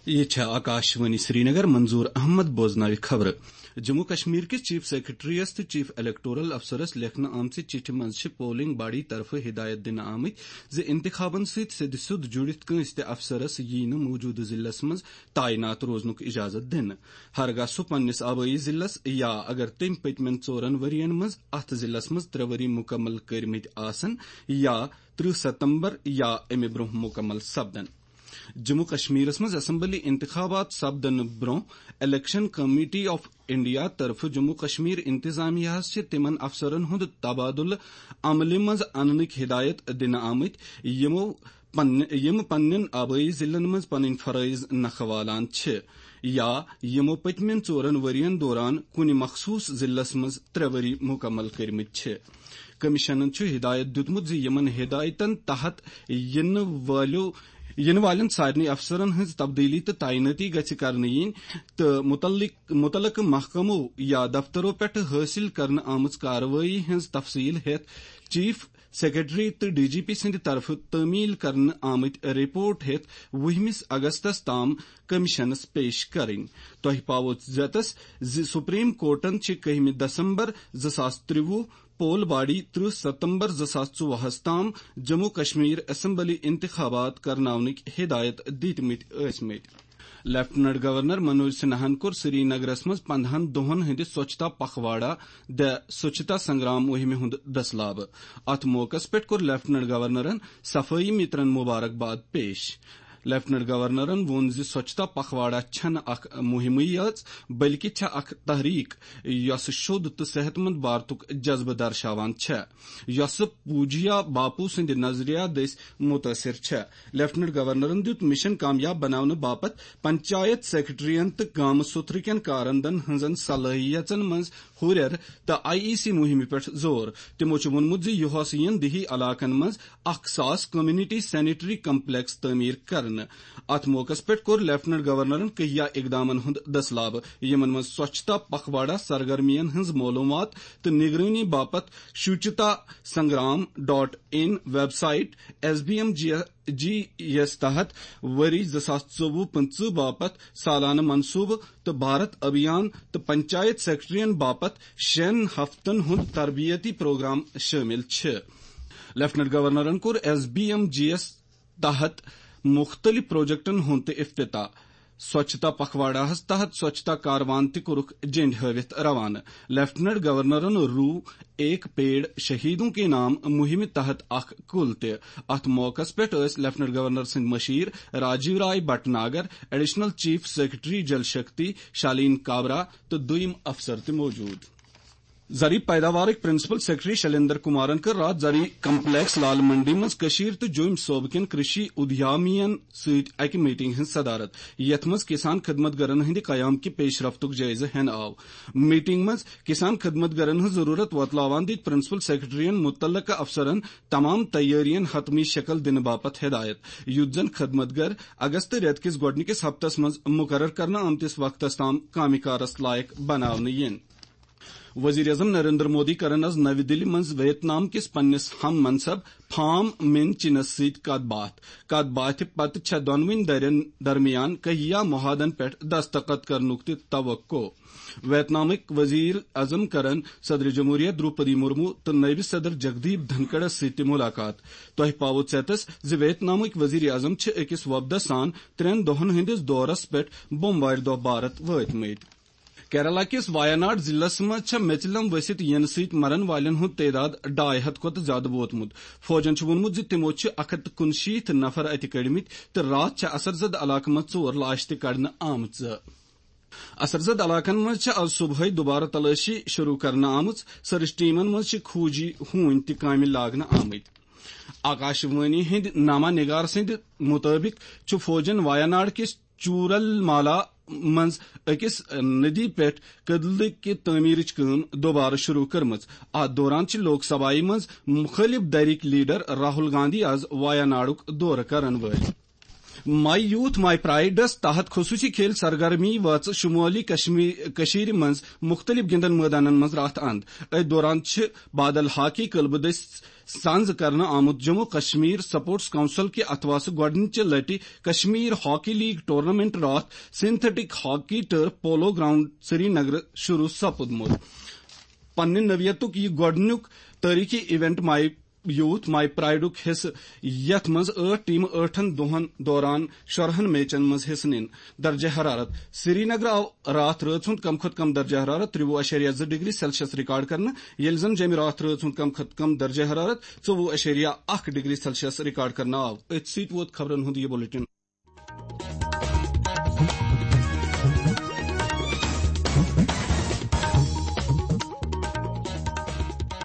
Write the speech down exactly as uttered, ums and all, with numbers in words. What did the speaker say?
یہِ چھےٚ آکاشوانی سرینگر، منظور احمد بوزناوِ خبرٕ۔ جموں کشمیر کِس چیف سیکرٹریَس تہٕ چیف الیکٹورل افسرَس لیکھنہٕ آمژِ چِٹھِ منٛز چھِ پولنگ باڈی طرفہٕ ہدایت دِنہٕ آمٕتۍ زِ انتخابن سۭتۍ سیٚدِ سیوٚد جُڑِتھ کٲنٛسہِ تہِ افسرَس یِیہِ نہٕ موٗجوٗدٕ ضلعس منٛز تعینات روزنُک اجازت دِنہٕ، ہرگاہ سُہ پننِس آبٲیی ضلعس یا اگر تٔمۍ پٔتمٮ۪ن ژورن ؤرین منٛز اتھ ضلعس منٛز ترٛےٚ ؤری مُکمل کٔرمٕتۍ آسن یا ترٕہ ستمبر یا امہِ برونٛہہ مُکمل سپدن۔ جموں کشمیرس منٛز اسمبلی انتخابات سپدنہٕ برونٛہہ الیکشن کمیٹی آف انڈیا طرفہٕ جموں کشمیر انتظامیہ ہس چھِ تِمن افسرن ہُنٛد تبادلہٕ عملہِ منٛز اننٕکۍ ہدایت دِنہٕ آمٕتۍ، یِمو پننہِ، یِم پننٮ۪ن آبٲیی ضلعن منٛز پنٕنۍ فرٲیض نکھٕ والان چھِ یا یِمو پٔتمٮ۪ن ژورن ؤرین دوران کُنہِ مخصوص ضلعس منٛز ترٛےٚ ؤری مُکمل کٔرمٕتۍ چھِ۔ کمیشنن چھُ ہدایت دیُتمُت زِ یِمن ہدایتن تحت یِنہٕ وٲلِو، یِنہٕ والٮ۪ن سارنٕے افسرن ہٕنٛز تبدیلی تہٕ تعینٲتی گژھِ کرنہٕ یِنۍ تہٕ متعلق، متعلقہٕ محکمو یا دفترو پٮ۪ٹھٕ حٲصِل کرنہٕ آمٕژ کاروٲیی ہٕنٛز تفصیل ہٮ۪تھ چیف سیکرٹری تہٕ ڈی جی پی سٕنٛدِ طرفہٕ تعمیل کرنہٕ آمٕتۍ رپورٹ ہٮ۪تھ وُہمِس اگستس تام کمیشنس پیش کرٕنۍ۔ تۄہہِ پاوو ژیتس زِ سپریم کورٹن چھِ کٔہمہِ دسمبر زٕ ساس ترٛوُہ پول باڈی ترٕہ ستمبر زٕ ساس ژوٚوُہس تام جموں کشمیر اسمبلی انتخابات کرناونٕکۍ ہدایت دِتمٕتۍ ٲسمٕتۍ۔ لیفٹیننٹ گورنر منوج سنہاہن کوٚر سری نگرس منٛز پندہن دۄہن ہٕنٛدِ سوچھتا پکھواڑا، The Swachhata Sangram مُہِمہِ ہُنٛد دسلابہٕ۔ اتھ موقعس پٮ۪ٹھ کوٚر لیفٹیننٹ گورنرن صفٲیی مترن مبارکباد پیش۔ لیفٹیننٹ گورنرن ووٚن زِ سوچھتا پکھواڑا چھنہٕ اکھ مُہِمٕے یٲژ، بلکہِ چھےٚ اکھ تحریک، یۄسہٕ شوٚد تہٕ صحت مند بھارتُک جذبہٕ درشاوان چھےٚ، یۄسہٕ پوجیا باپو سٕنٛدِ نظریہ دٔسۍ متٲثر چھےٚ۔ لیفٹیننٹ گورنرن دیُت مشن کامیاب بناونہٕ باپتھ پنچایت سیکرٹرین تہٕ گامہٕ سُتھرٕ کٮ۪ن کارندن ہٕنٛزن صلٲحیژن منٛز ہُرٮ۪ر تہٕ آئی ای سی مُہِمہِ پٮ۪ٹھ زور۔ تِمو چھُ ووٚنمُت زِ یُہس یِن دیہی علاقن منٛز اکھ ساس کمیونٹی سینیٹری کمپلیکس تعمیٖر کرنہٕ۔ اتھ موقعس پٮ۪ٹھ کوٚر لیفٹیننٹ گورنرن کہیا اقدامن ہُنٛد دسلابہٕ، یِمن منٛز سوچھتا پکھواڑا سرگرمین ہٕنٛز معلومات تہٕ نگرٲنی باپتھ Swachhta Sangram dot in website, S B M G G یس تحت ؤری زٕ ساس ژوٚوُہ پٕنٛژٕہ باپتھ سالانہٕ منصوبہٕ تہٕ بھارت ابھیان تہٕ پنچایت سیکرٹرین باپتھ شٮ۪ن ہفتن ہُنٛد تربیتی پروگرام شٲمِل چھِ۔ لیفٹیننٹ گورنرن کوٚر ایس بی ایم جی یس تحت مُختٔلِف پروجیکٹن ہُنٛد تہِ افتتاح۔ سوچھتا پکھواڑاہس تحت سوچھتا کاروان تہِ کوٚرُکھ جنڈ ہٲوِتھ روانہٕ۔ لیفٹیننٹ گورنرن روٗ ایک پیڑ شہیدوں کے نام مُہِمہِ تحت اکھ کُل تہِ۔ اتھ موقعس پٮ۪ٹھ ٲسۍ لیفٹیننٹ گورنر سٕنٛدۍ مشیر راجیو رائے Bhatnagar, additional chief secretary Jal Shakti شالین کابرا تہٕ دوٚیِم افسر تہِ موجود۔ زرعی پیداوارٕکۍ پرنسپل سیکرٹری شلیندر کمارن کٔر راتھ زرعی کمپلیکس لال منڈی منٛز کٔشیٖر تہٕ جوٚمۍ صوبہٕ کٮ۪ن کرشی ادھیامین سۭتۍ اکہِ میٹنگ ہٕنٛز صدارت، یتھ منٛز کسان خدمت گرن ہٕنٛدِ قیام کہِ پیش رفتُک جٲیزٕ ہینہٕ آو۔ میٹنگ منٛز کسان خدمت گرن ہٕنٛز ضروٗرت وۄتلاوان دِتۍ پرنسپل سیکرٹریَن مُتعلقہٕ افسرن تمام تیٲرین حتمی شکل دِنہٕ باپتھ ہدایت، یُتھ زن خدمت گر اگست رٮ۪تہٕ کِس گۄڈٕنِکِس ہفتس منٛز مُقرر کرنہٕ آمتِس وقتس تام کامہِ کارس لایق بناونہٕ یِن۔ وزیر اعظم نریندر مودی کرن از نوِ دِلہِ منٛز ویتنام کِس پننِس ہم منصب فام مِن چِنس سۭتۍ کتھ باتھ۔ کتھ باتھِ پتہٕ چھےٚ دۄنوٕنی دٔرین درمیان کہیا معاہدن پٮ۪ٹھ دستخط کرنُک تہِ توقع۔ ویتنامٕکۍ وزیر اعظم کرن صدر جمہوریہ دروپدی مرمو تہٕ نٲیِب صدر جگدیپ دھنکڑس سۭتۍ تہِ ملاقات۔ تۄہہِ پاوو ژیتس زِ ویتنامٕکۍ وزیر اعظم چھِ أکِس وۄپدس سان ترٛٮ۪ن دۄہن ہٕنٛدِس دورس پٮ۪ٹھ بوموارِ دۄہ بھارت وٲتمٕتۍ۔ کیرالہ کِس وایاناڈ ضلعس منٛز چھےٚ میژِلم ؤسِتھ یِنہٕ سۭتۍ مرن والٮ۪ن ہُنٛد تعداد ڈاے ہتھ کھۄتہٕ زیادٕ ووتمُت۔ فوجن چھُ ووٚنمُت زِ تِمو چھِ اکھ ہتھ تہٕ کُنشیٖتھ نفر اَتہِ کٔڑمٕتۍ تہٕ راتھ چھےٚ اثرزد علاقہٕ منٛز ژور لاش تہِ کڑنہٕ آمژٕ۔ اثرزد علاقن منٛز چھےٚ از صبحٲے دُبارٕ تلٲشی شروع کرنہٕ آمٕژ۔ سرچ ٹیمن منٛز چھِ کھوجی ہوٗنۍ تہِ کامہِ لاگنہٕ آمٕتۍ۔ آکاشوانی ہٕنٛدۍ نامہ نگار سٕنٛدِ مُطٲبِق چھُ فوجن وایاناڈ کِس چورل مالا منٛز أکِس ندی پٮ۪ٹھ کدلہٕ کہِ تعمیرٕچ کٲم دوبارٕ شروع کٔرمٕژ۔ اتھ دوران چھِ لوک سبھایہ منٛز مُخٲلِف دھرِکۍ لیڈر راہل گاندھی از وایاناڈُک دورٕ کرن وٲلۍ۔ ماے یوتھ ماے پرائیڈس تحت خصوصی کھیل سرگرمی وٲژ شمٲلی کشمیر کشمیر منٛز مختلف گندن مٲدانن منٛز راتھ اند۔ أتھۍ دوران چھِ بادل ہاکی، کلبہٕ دٔسۍ سنز کرنہٕ آمُت۔ جموں کشمیر سپورٹس کونسل کہِ اتھواسہٕ گۄڈٕنچہِ لٹہِ کشمیر ہاکی لیگ ٹورنامنٹ راتھ synthetic hockey turf polo ground Srinagar شروع سپُدمُت۔ پننہِ نوعیتُک یہِ گۄڈٕنیُک تٲریخی ایونٹ ماے یوتھ ماے پرائیڈُک حصہٕ، یتھ منٛز ٲٹھ ٹیمہٕ ٲٹھن دۄہن دوران شُراہن میچن منٛز حصہٕ نِن۔ درجہ حرارت۔ سری نگر آو راتھ رٲژ ہُنٛد کم کھۄتہٕ کم درجہ حرارت ترٛوُہ اَشاریہ زٕ ڈگری سیلسیس ریکارڈ کرنہٕ، ییٚلہِ زن جیٚمہِ راتھ رٲژ ہُنٛد کم کھۄتہٕ کم درجہ حرارت ژوٚوُہ اَشاریہ اکھ ڈگری سیلسیس ریکارڈ کرنہٕ آو۔ أتھۍ سۭتۍ ووت خبرن ہُنٛد یہِ بلیٹن۔